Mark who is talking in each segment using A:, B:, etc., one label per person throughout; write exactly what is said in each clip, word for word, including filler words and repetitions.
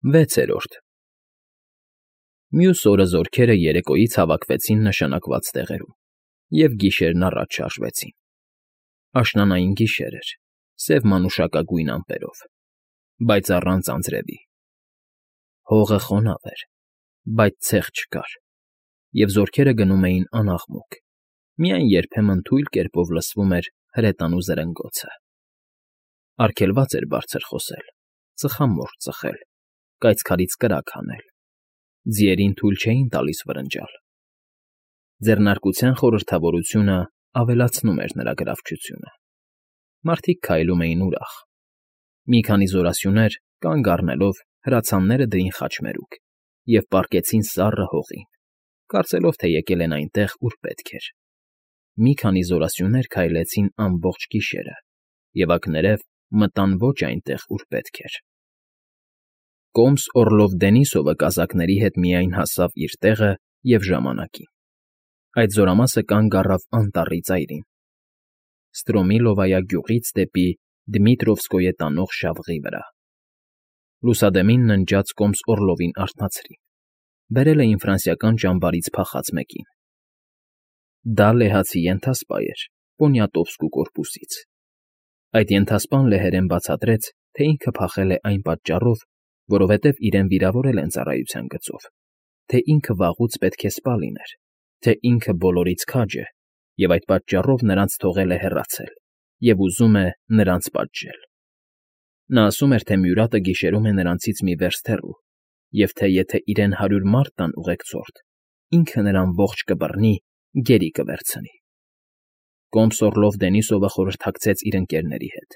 A: Վեցերորդ Մյուս օրը զորքերը երեկոյից հավաքվեցին նշանակված տեղերում և գիշերն առաջ շարժվեցին. աշնանային գիշեր էր, սև մանուշակագույն ամպերով, բայց առանց անձրևի. հողը խոնավ էր, բայց ցեղ չկար, և զորքերը գնում էին անաղմուկ, միայն երբեմն թույլ կերպով լսվում էր հրետանու զրնգոցը. արգելված էր բարձր խոսել, ծխամորճ ծխել, կայծքարից կրակ հանել, ձիերին թույլ չէին տալիս վրնջալ. ձեռնարկության խորհրդավորությունը ավելացնում էր նրա գրավչությունը. մարդիկ քայլում էին ուրախ. մի քանի զորասյուներ, կանգ առնելով, հրացանները դրին խաչմերուկ և պառկեցին սառը հողին, կարծելով, թե եկել են այնտեղ, ուր պետք էր. մի քանի զորասյուներ քայլեցին ամբողջ գիշերը և ակներև մտան ոչ այնտեղ, ուր պետք էր. Կոմս Օռլով Դենիսովը կազակների հետ միայն հասավ իր տեղը և ժամանակին. այդ զորամասը կանգ առավ անտառի ծայրին, Ստրոմիլովայա գյուղից դեպի Դմիտրովսկոյե տանող շավղի վրա. լուսադեմին ննջած կոմս Օռլովին արթնացրին, բերել էին ֆրանսիական ճամբարից փախած մեկին. դա լեհացի ենթասպա էր Պոնիատովսկու կորպուսից. այդ ենթասպան լեհերեն բացատրեց, թե ինքը փախել է այն պատճառով, որովհետև իրեն վիրավորել են ծառայության գծով, թե ինքը վաղուց պետք է սպա լիներ, թե ինքը բոլորից քաջ է և այդ պատճառով նրանց թողել է հեռացել և ուզում է նրանց պատժել. նա ասում էր, թե մյուրատը գիշերում է նրանցից մի վերստ հեռու և թե եթե իրեն հարյուր մարդ տան ուղեկցորդ, ինքը նրան ողջ կբռնի, գերի կվերցնի. Կոմս Օռլով Դենիսովը խորհրդակցեց իր ընկերների հետ.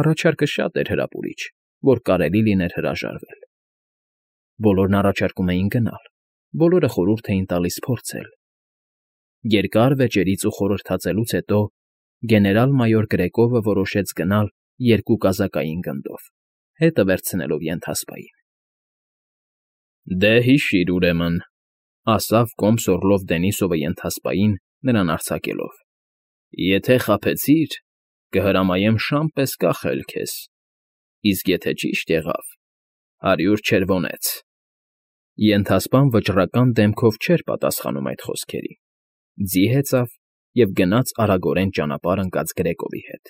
A: առաջարկը շատ էր հրապուրիչ, որ կարելի լիներ հրաժարվել. բոլորն առաջարկում էին գնալ, բոլորը խորհուրդ էին տալիս փորձել. երկար վեճերից ու խորհրդածելուց հետո գեներալ֊մայոր Գրեկովը որոշեց գնալ երկու կազակային գնդով, հետը վերցնելով ենթասպային. Դե հիշիր, ուրեմն, ասավ կոմս Օռլով Դենիսովը ենթասպային, նրան արձակելով. եթե խաբեցիր, կհրամայեմ շան պես կախել քեզ, իսկ եթե ճիշտ եղավ, հարյուր չերվոնեց. Ենթասպան վճռական դեմքով չէր պատասխանում այդ խոսքերին, ձի հեծավ և գնաց արագորեն ճանապարհ ընկած Գրեկովի հետ.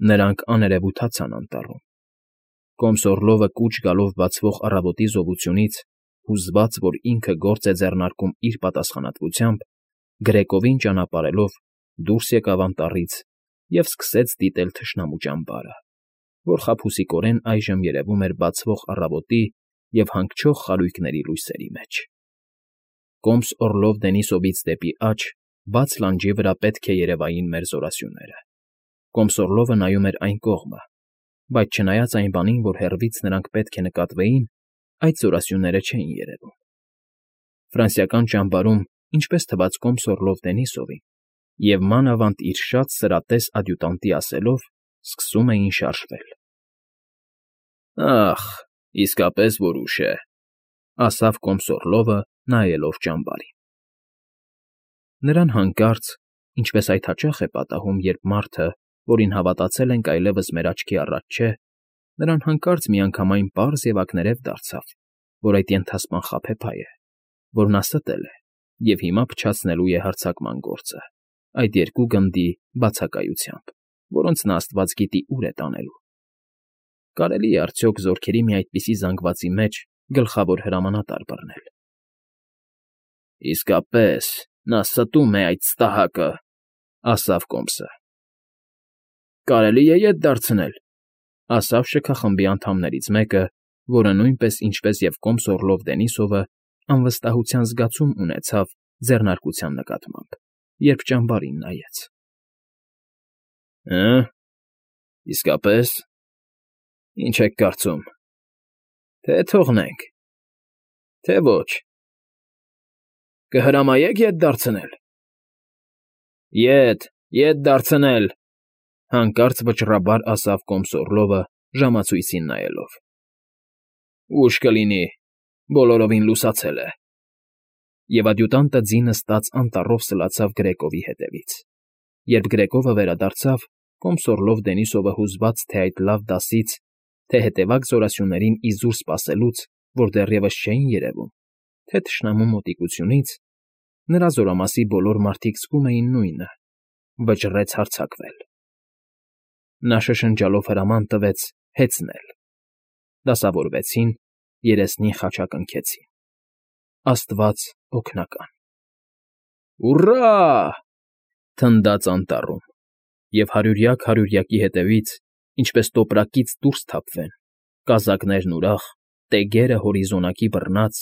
A: նրանք աներևութացան անտառում. Կոմս Օռլովը կուչ գալով բացվող առավոտի զովությունից, հուզված, որ ինքը գործ է ձեռնարկում իր պատասխանատվությամբ, Գրեկովին ճանապարհելով դուրս եկավ անտառից և սկսեց դիտել թշնամու ճամբարը, որ խաբուսիկորեն այժմ երևում էր բացվող առավոտի և հանգչող խարույկների լույսերի մեջ. Կոմս Օռլով Դենիսովից դեպի աջ, բաց լանջի վրա պետք է երևային մեր զորասյուները. Կոմս Օռլովը նայում էր այն կողմը, բայց չնայած այն բանին, որ հեռվից նրանք պետք է նկատվեին, այդ զորասյուները չէին երևում. ֆրանսիական ճամբարում, ինչպես թվաց կոմս Օռլով Դենիսովին, և մանավանդ իր շատ սրատես ադյուտանտի ասելով, սկսում էին շարժվել. Ա՜խ, իսկապես որ ուշ է, ասավ կոմս Օռլովը, նայելով ճամբարին. նրան հանկարծ, ինչպես այդ հաճախ է պատահում, երբ մարդը, որին հավատացել ենք, այլևս մեր աչքի առաջ չէ, նրան հանկարծ միանգամայն պարզ և ակներև դարձավ, որ այդ ենթասպան խաբեբայ է, որ նա ստել է և հիմա փչացնելու է հարձակման գործը այդ երկու գնդի բացակայությամբ, որոնց նա աստված գիտի ուր է տանելու. կարելի է արդյոք զորքերի մի այդպիսի զանգվածի մեջ գլխավոր հրամանատար բռնել. իսկապես, նա ստում է այդ ստահակը, ասավ կոմսը. կարելի է ետ դարձնել, ասավ շքախմբի անդամներից մեկը, որը նույնպես, ինչպես և կոմս Օռլով Դենիսովը, անվստահության զգացում ունեցավ ձեռնարկության նկատմամբ, երբ ճամբարին նայեց. Հը՞, իսկապես, ինչ եք կարծում, թե թողնենք, թե ոչ, կհրամայե՞ք ետ դարձնել։ Ետ, ետ դարձնել, հանկարծ վճռաբար ասավ կոմս Օռլովը ժամացույցին նայելով. ուշ կլինի, բոլորովին լուսացել է, և ադյուտանտը ձի նստած անտառով սլացավ Գրեկովի հետևից. երբ Գրեկովը վերադարձավ, կոմս Օռլով Դենիսովը հուզված, թե այդ լավ դասից թե հետևակ զորասյուներին իզուր սպասելուց, որ դեռևս չէին երևում, թե թշնամու մոտիկությունից, նրա զորամասի բոլոր մարդիկ զգում էին նույնը՝ վճռեց հարձակվել։ Նա շշնջալով հրաման տվեց հեծնել։ Դասավորվեցին, երեսնին խաչակնքեցին։ Աստված օգնական։ Ուռա՜… թնդաց անտառում, և հարյուրյակ֊հարյուրյակի հետևից, ինչպես տոպրակից դուրս թափվեն, կազակներն ուրախ, տեգերը հորիզոնակի բռնած,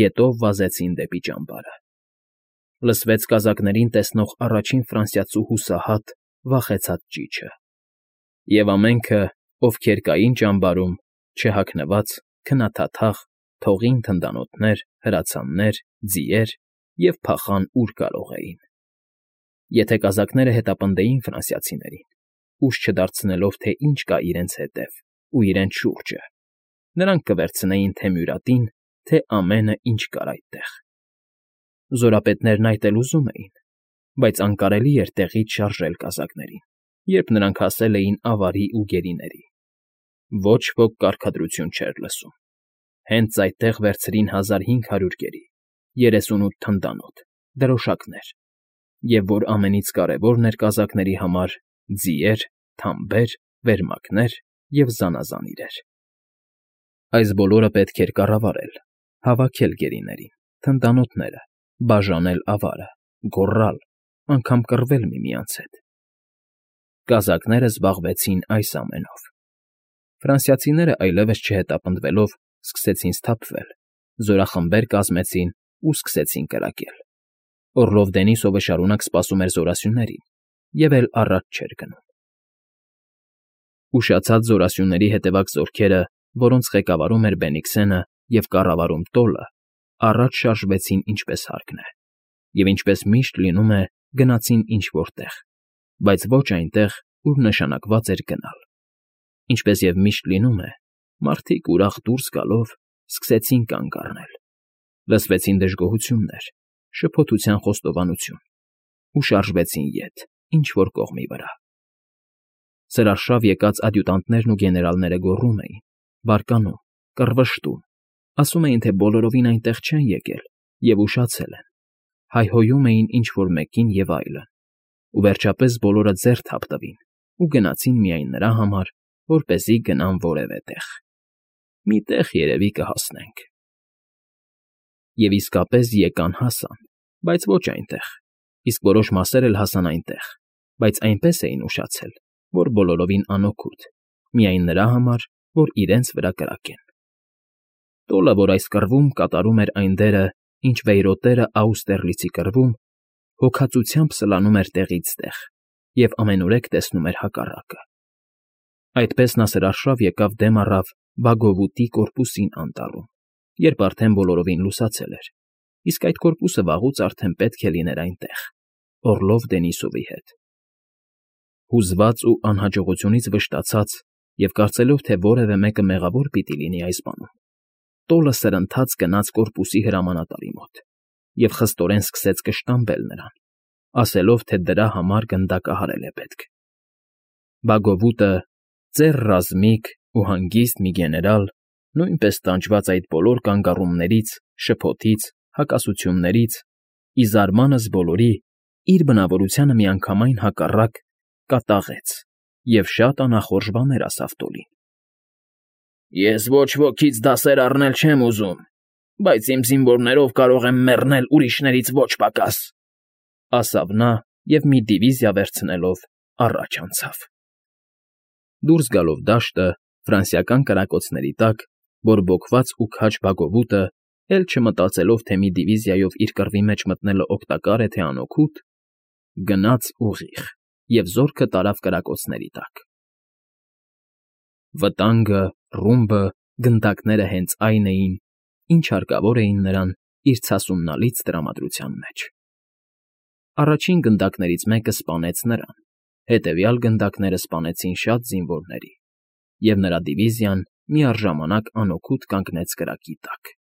A: գետով վազեցին դեպի ճամբարը։ Լսվեց կազակներին տեսնող առաջին ֆրանսիացու հուսահատ, վախեցած ճիչը։ Եվ ամենքը, ովքեր կային ճամբարում, չհագնված, քնաթաթախ, թողին թնդանոթներ, հրացաններ, ձիեր և փախան ուր կարող էին։ Եթե կազակները հետապնդեին ֆրանսիացիներին, ուշ չդարձնելով, թե ինչ կա իրենց հետև ու իրենց շուրջը, նրանք կվերցնեին թե մյուրատին, թե ամենը, ինչ կար այդտեղ։ Զորապետներն այդ էլ ուզում էին, բայց անկարելի էր տեղից շարժել կազակներին, երբ նրանք հասել էին ավարի ու գերիների։ Ոչ ոք կարգադրություն չէր լսում։ Հենց այդտեղ վերցրին հազար հինգ հարյուր գերի, երեսունութ թնդանոթ, դրոշակներ, և, որ ամենից կարևորն էր կազակների համար, ձիեր, թամբեր, վերմակներ և զանազան իրեր։ Այս բոլորը պետք էր կառավարել, հավաքել գերիներին, թնդանոթները, բաժանել ավարը, գոռալ, անգամ կռվել միմյանց հետ։ Կազակները զբաղվեցին այս ամենով։ Ֆրանսիացիները այլևս չհետապնդվելով սկսեցին սթափվել, զորախմբեր կազմեցին ու սկսեցին կրակել։ Օռլով Դենիսովը շարունակ սպասում էր զորասյուներին և էլ առաջ չէր գնում։ Ուշացած զորասյուների հետևակ զորքերը, որոնց ղեկավարում էր Բենիքսենը և կառավարում Տոլը, առաջ շարժվեցին ինչպես հարկն է, և ինչպես միշտ լինում է, գնացին ինչ֊որ տեղ, բայց ոչ այնտեղ, ուր նշանակված էր գնալ։ Ինչպես և միշտ լինում է, մարդիկ ուրախ դուրս գալով սկսեցին կանգ առնել։ Լսվեցին դժգոհություններ, շփոթության խոստովանություն ու շարժվեցին ետ, ինչ֊որ կողմի վրա։ Սրարշավ եկած ադյուտանտներն ու գեներալները գոռում էին, բարկանում, կռվշտում, ասում էին, թե բոլորովին այնտեղ չեն եկել և ուշացել են, հայհոյում էին ինչ֊որ մեկին և այլն, ու վերջապես բոլորը ձեռ թափ տվին ու գնացին միայն նրա համար, որպեսզի գնան որևէ տեղ։ «Մի տեղ, երևի, կհասնենք»։ Եվ իսկապես եկան֊հասան, բայց ոչ այնտեղ, իսկ որոշ մասեր էլ հասան այնտեղ, բայց այնպես էին ուշացել, որ բոլորովին անօգուտ, միայն նրա համար, որ իրենց վրա կրակեն։ Տոլը, որ այս կռվում կատարում էր այն դերը, ինչ վեյրոտերը Աուստերլիցի կռվում, հոգածությամբ սլանում էր տեղից տեղ և ամենուրեք տեսնում էր հակառակը։ Այդպես նա սրարշավ եկավ դեմ առավ Բագովուտի կորպուսին անտառում, երբ արդեն բոլորովին լուսացել էր, իսկ այդ կորպուսը վաղուց արդեն պետք է լիներ այնտեղ, Օռլով Դենիսովի հետ։ Հուզված ու անհաջողությունից վշտացած և կարծելով, թե որևէ մեկը մեղավոր պիտի լինի այս բանում, Տոլը սրընթաց գնաց կորպուսի հրամանատարի մոտ և խստորեն սկսեց կշտամբել նրան, ասելով, թե դրա համար գնդակահարել է պետք։ Բագովուտը, ծեր ռազմիկ ու հանգիստ մի գեներալ, նույնպես տանջված այդ բոլոր կանգառումներից, շփոթից, հակասություններից, ի զարմանս բոլորի, իր բնավորությանը միանգամայն հակառակ, կատաղեց և շատ անախորժ բաներ ասավ Տոլին։ «Ես ոչ ոքից դասեր առնել չեմ ուզում, բայց իմ զինվորներով կարող եմ մեռնել ուրիշներից ոչ պակաս», ասավ նա և մի դիվիզիա վերցնելով առաջ անցավ։ Դուրս գալով դաշտը, ֆրանսիական կրակոցների տակ, բորբոքված ու քաջ Բագովուտը, էլ չմտածելով, թե մի դիվիզիայով իր կռվի մեջ մտնելը օգտակար է թե անօգուտ, գնաց ուղիղ և զորքը տարավ կրակոցների տակ։ Վտանգը, ռումբը, գնդակները հենց այն էին, ինչ հարկավոր էին նրան իր ցասումնալից տրամադրության մեջ։ Առաջին գնդակներից մեկը սպանեց նրան, հետևյալ գնդակները սպանեցին շատ զինվորների, և նրա դիվիզիան միառժամանակ անօգուտ կանգնեց կրակի տակ։